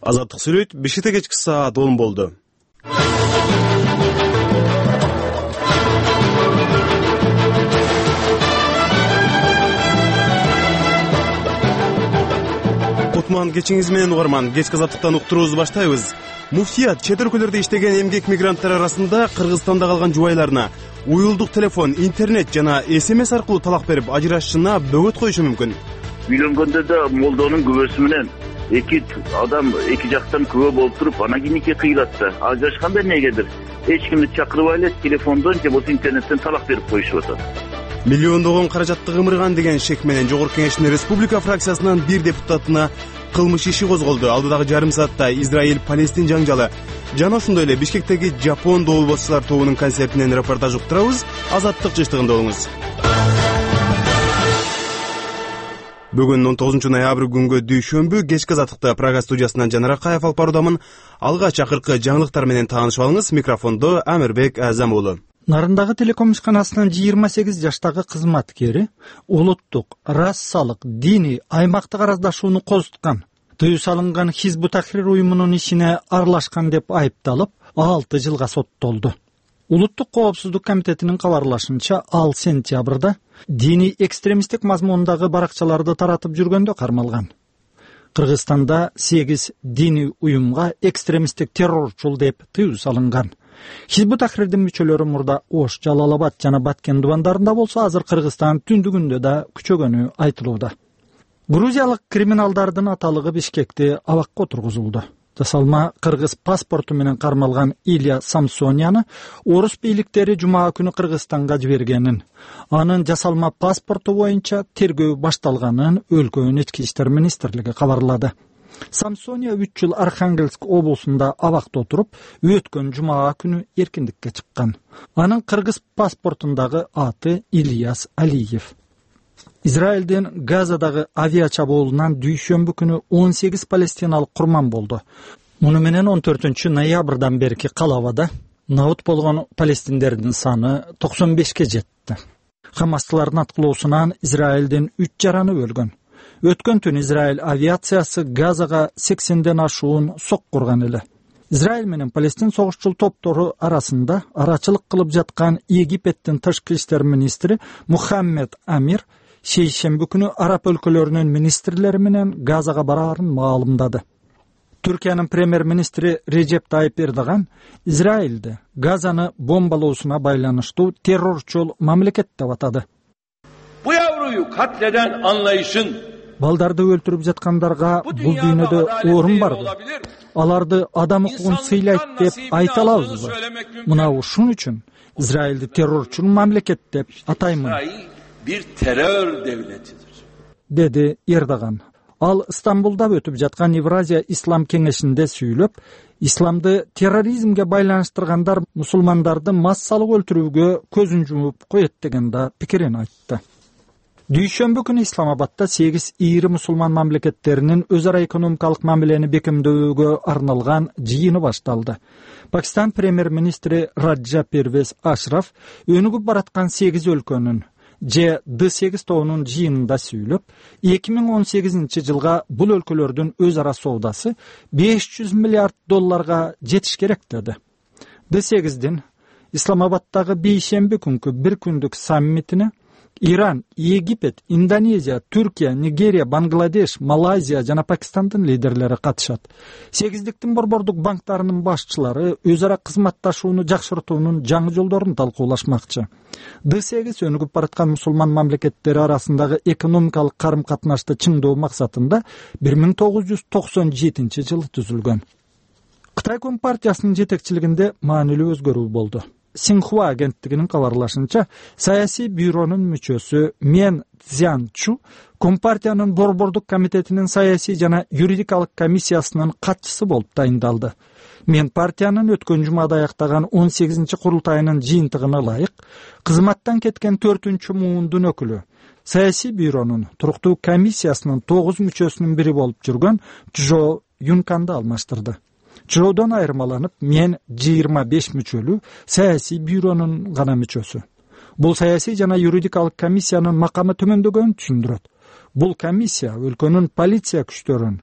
Азаттык сүйлөйт, Бишкекте кечки саат 10 болду. Кутман кечиңиз менен угарман, кечки азаттыктан уктуруубузду баштайбыз. Муфтият чет өлкөлөрдө иштеген эмгек мигранттар арасында Кыргызстанда калган жубайларына уюлдук телефон, интернет жана СМС аркылуу талак берип ажырашышына бөгөт коюшу мүмкүн. Үйлөнгөндө да молдонун күбөсү менен эки жактан күбө болуп туруп, анан кийин нике кыйылат да. Ажырашканда эмнегедир эч кимди чакырбай эле телефондон же болбосо интернеттен талак берип коюшуп атат. Миллиондогон каражатты кымырган деген шек менен Жогорку Кеңештин Республика фракциясынан бир депутатына кылмыш иши козголду. Алдыдагы жарым саатта Израиль-Палестин жаңжалы жана ошондой эле Бишкектеги Жапон доболбоочулар тобунун концертинен репортаж уктурабыз. Азаттык жыштыгында болуңуз. Бүгүн 19 ноябрь күнгө дүйшөмбү кечки азаттыкта Прага студиясынан Жанар Акаев алып баруудамын. Алгач акыркы жаңылыктар менен таанышып алыңыз. Микрофондо Амирбек Азам уулу. Нарындагы телеком ишканасынын 28 жаштагы кызматкери улуттук, расалык, диний, аймактык араздашууну козуткан, тыюу салынган Хизбут Тахрир уюмунун ишине аралашкан деп айыпталып 6 жылга соттолду. Улуттук коопсуздук комитетинин кабарлашынча, ал сентябрда диний экстремисттик мазмундагы баракчаларды таратып жүргөндө кармалган. Кыргызстанда 8 диний уюмга экстремисттик террорчул деп тыюу салынган. Хизбут Тахрирдин мүчөлөрү мурда Ош, Жалал-Абад жана Баткен дубандарында болсо, азыр Кыргызстан түндүгүндө да күчөгөнү айтылууда. Грузиялык криминалдардын аталыгы Бишкекте абакка отургузулду. Жасалма кыргыз паспорту менен кармалган Илья Самсонияны орус бийликтери жума күнү Кыргызстанга жибергенин, анын жасалма паспорту боюнча тергөө башталганын өлкөнүн ички иштер министрлиги кабарлады. Самсония 3 жыл Архангельск облусунда абакта отуруп, өткөн жума күнү эркиндикке чыккан. Анын кыргыз паспортундагы аты Ильяс Алиев. Израилдин Газадагы авиа чабуулунан дүйшөмбү күнү 18 палестиналык курман болду. Муну менен 14 ноябрдан берки калабада набыт болгон палестиндердин саны 95ке жетти. Хамастылардын аткылоосунан Израилдин 3 жараны өлгөн. Өткөн түн Израиль авиациясы Газага 80ден ашуун соккурган эле. Израиль менен Палестин согушчул топтору арасында арачылык кылып жаткан Египеттин тышкы иштер министри Мухаммед Амир шейшемби күнү араб өлкөлөрүнүн министрлери менен Газага бараарын маалымдады. Түркиянын премьер-министри Режеп Тайип Эрдоган Израилди Газаны бомбалоосуна байланыштуу террорчул мамлекет деп атады. Bu yavruyu katleden anlayışın балдарды өлтүрүп жаткандарга бул дүйнөдө орун барбы? Аларды адам укугун сыйлайт деп айта алабызбы? Мына ушун үчүн Израилди террорчул мамлекет деп атаймын. bir terör devletidir. Деди Эрдоган. Ал Стамбулда өтүп жаткан Евразия ислам кеңешинде сүйлөп, исламды терроризмге байланыштыргандар мусулмандарды массалык өлтүрүүгө көзүн жумуп коет деген да пикирин айтты. Дүйшөмбү күнү Исламабадда 8 ири мусулман мамлекеттеринин өз ара экономикалык мамилени бекемдөөгө арналган жыйыны башталды. Пакистан премьер-министри Раджа Первез Ашраф өнүгүп бараткан 8 өлкөнүн G8 тобунун жыйынында сүйлөп, 2018 жылга бул өлкөлөрдүн өз ара соодасы 500 миллиард долларга жетиш керек деди. G8дин Исламабаддагы бейшемби күнкү бир күндүк саммитине Иран, Египет, Индонезия, Түркия, Нигерия, Бангладеш, Малайзия жана Пакистандын лидерлери катышат. Сегиздиктин борбордук банктарынын башчылары өз ара кызматташууну жакшыртуунун жаңы жолдорун талкуулашмакчы. G8 өнүгүп бараткан мусулман мамлекеттери арасындагы экономикалык карым-катнашты чыңдоо максатында 1997 жылы түзүлгөн. Кытай Компартиясынын жетекчилигинде маанилүү өзгөрүү болду. Синхуа агенттигинин кабарлашынча, саясий бюронун мүчөсү Мен Цзянчу Компартиянын борбордук комитетинин саясий жана юридикалык комиссиясынын катчысы болуп тайындалды. Мен партиянын өткөн жумада аяктаган 18 курултайынын жыйынтыгына ылайык кызматтан кеткен 4 муундун өкүлү, саясий бюронун туруктуу комиссиясынын 9 мүчөсүнүн бири болуп жүргөн Чжо Юнканды алмаштырды. Чжоодон айырмаланып, мен 25 мүчөлүү саясий бюронун гана мүчөсү. Бул саясий жана юридикалык комиссиянын макамы төмөндөгөнүн түшүндүрөт. Бул комиссия өлкөнүн полиция күчтөрүн,